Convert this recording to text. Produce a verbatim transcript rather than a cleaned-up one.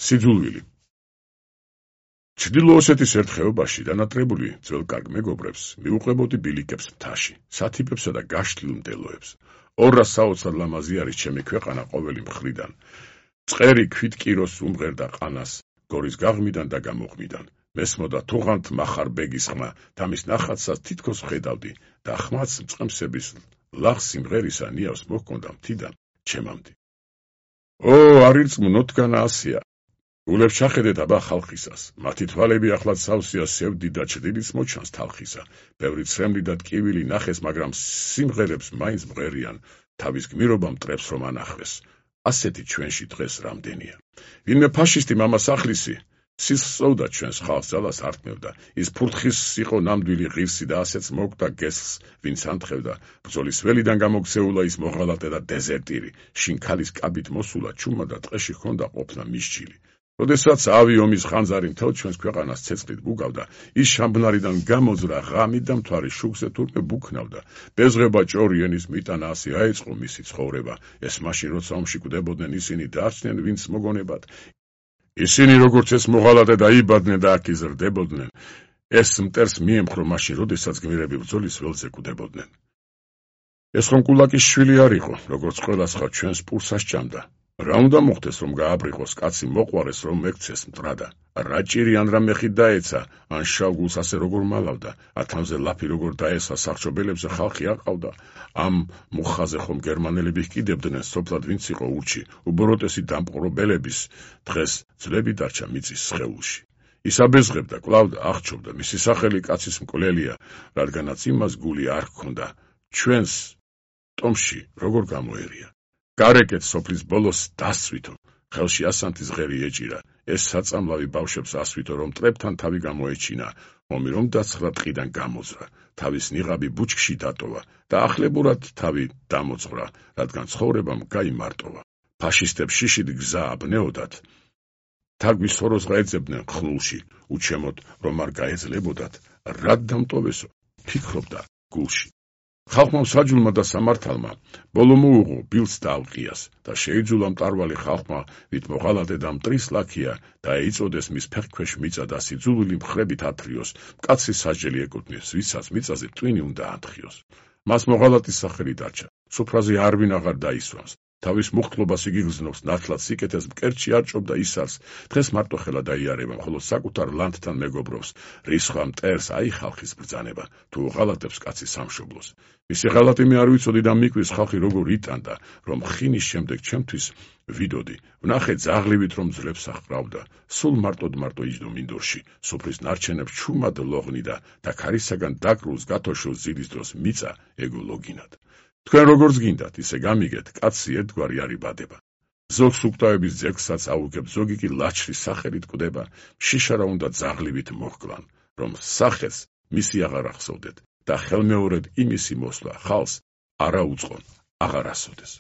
სიძულვილი. ჩრდილო-ოსეთის ერთ ხეობაში დანატრებული ძველ კარგ მეგობრებს მიუყვებოდი ბილიკებს მთაში, სათიბებსა და გაშლილ მდელოებს. ორას საოცრად ლამაზი არის ჩემი ქვეყანა ყოველი მხრიდან. წყერი ქვით კიროს უმღერდა ყანას, გორის გაღმიდან და გამოღმიდან. მესმოდა თუღანთ მახარ ბეგის ხმა და მის ნახატსაც თითქოს ვხედავდი და ხმაც მწყემსების ლაღს სიმღერისა ნიავს მოჰქონდა მთიდან ჩემამდე. ო, არირწმუნო დგანა ასია. გულებს ჩახედეთ აბა ხალხისას, მათი თვალები ახლაც სავსეა სევდი და ჩრდილიც მოჩანს თალხისა. ბევრი ცრემლი და ტკივილი ნახეს, მაგრამ სიმღერებს მაინც მღერიან, თავის გმირობა მტრებს რომ ანახვეს. ასეთი ჩვენში დღეს რამდენია. ვინმე ფაშისტი მამასახლისი სისხლს სწოვდა ჩვენს ხალხს, ძალას ართმევდა. ის ფურთხის იყო ნამდვილი ღირსი და ასეც მოგდა გესლს, ვინც ანთხევდა. ბრძოლის ველიდან გამოქცეულა ის მოღალატე და დეზერტირი. შინქალის კაბით მოსულა ჩუმა და ტყეში ჰქონდა ყოფნა მისჯილი. როდესაც ავი ომის ხანძარი მთელ ჩვენს ქვეყანას ცეცხლით გუგავდა, ის შამბნარიდან გამოძრა ღამით და მთვარის შუქზე თურმე ბუქნავდა. ბეზღება ჭორი ენის მიტანა ასე აეწყო მისი ცხოვრება. ეს მაშინ როცა ომში კვდებოდნენ ისინი დარჩნენ ვინც მოგონებად. ისინი როგორც ეს მოღალატე დაიბადნენ და აქ იზრდებოდნენ, ეს მტერს მიემხრო მაშინ როდესაც გმირები ბრძოლის ველზე კვდებოდნენ. ეს ხომ კულაკის შვილი არ იყო, როგორც ყველა სხვა ჩვენს პურსას ჭამდა. რა უნდა მოხდეს რომ გააბრიყოს, კაცი მოყვარეს რომ მეკცეს მტრადა. რა ჭირი ან რა მეხი დაეცა, ან შავგულს ასე როგორ მალავდა, ათანზე ლაფი როგორ დაესვა სახრჩობელებზე ხალხი აყავდა. ამ მუხაზე ხომ გერმანელები ჰკიდებდნენ სოფლად ვინც იყო ურჩი, უბოროტესი დამპყრობელების დღეს ძვლები დარჩა მიწის სხეულში. ის აბეზღებდა, კლავდა, აღჩობდა, მისი სახელი კაცის მკვლელია, რადგანაც იმას გული არ ჰქონდა. ჩვენს ტომში როგორ გამოერია. გარეკეთ სოფლის ბოლოს დასწვითო, ხელში ასანთის ღერი ეჭირა, ეს საწამლავი ბავშვებს ასვითო, რომ მტრებთან თავი გამოეჩინა, ომი რომ დაცხლა ტყიდან გამოძრა, თავის ნიღაბი ბუჩქში დატოვა და ახლებურად თავი დამოძღვრა, რადგან ცხოვრებამ გაიმარტოვა. ფაშისტებს შიშით გზა აბნეოდათ, თაგვის სოროს გაეძებდნენ ხლულში, უჩემოდ რომ არ გაეძლებოდათ, რად დამტოვესო, ფიქრობდა გულში. ხალხმა მსაჯულმა და სამართალმა ბოლო მოუღო ბილს და ალყიას და შეიძულა მტარვალი ხალხმა, ვით მოღალატე და მტრის ლაქია და ეწოდეს მის ფეხქვეშ მიწა და სიძულვილი მხრებით ათრიოს, მკაცრი სასჯელი ეკუთვნეს, ვისაც მიწაზე ტვინი უნდა ათრიოს. მას მოღალატის სახელი დარჩა, სუფრაზე არვინ აღარ დაისვამს. თავის მუხტლობას იგი გზნობს, ნათლად სიკეთეს მკერდში არ ჭობდა ისარს, დღეს მარტო ხელა დაიარება, ხოლო საკუთარ ლანდთან მეგობრობს, რისხვა მტერს აი ხალხის ბრძანება, თუ ღალატებს კაცი სამშობლოს. მისი ღალატი მე არ ვიცოდი და მიკვის ხალხი როგორ იტანდა, რომ ხინის შემდეგ ჩემთვის ვიდოდი, ვნახე ძაღლივით რომ ძლებს აჰყრავდა, სულ მარტოდ მარტო იჯდო მინდორში, სუფრის ნარჩენებს ჩუმად ლოღნიდა და ქარისაგან დაკრულს გათოშოს ძილის დროს მიწა ეგოლოგინად. თქვენ როგორც გინდათ, ისე გამიგეთ, კაცი ერთგვარი არ იბადება. ზოგს უკვდავების ძეგლსაც აუგებ, ზოგი კი ლაჩრის სახელით კვდება, შიშარა უნდა ძაღლივით მოჰკლან, რომ სახელს მისი აღარ ახსოვდეთ და ხელმეორედ იმისი მოსვლა ხალს არა უწყონ აღარ ასოდეს.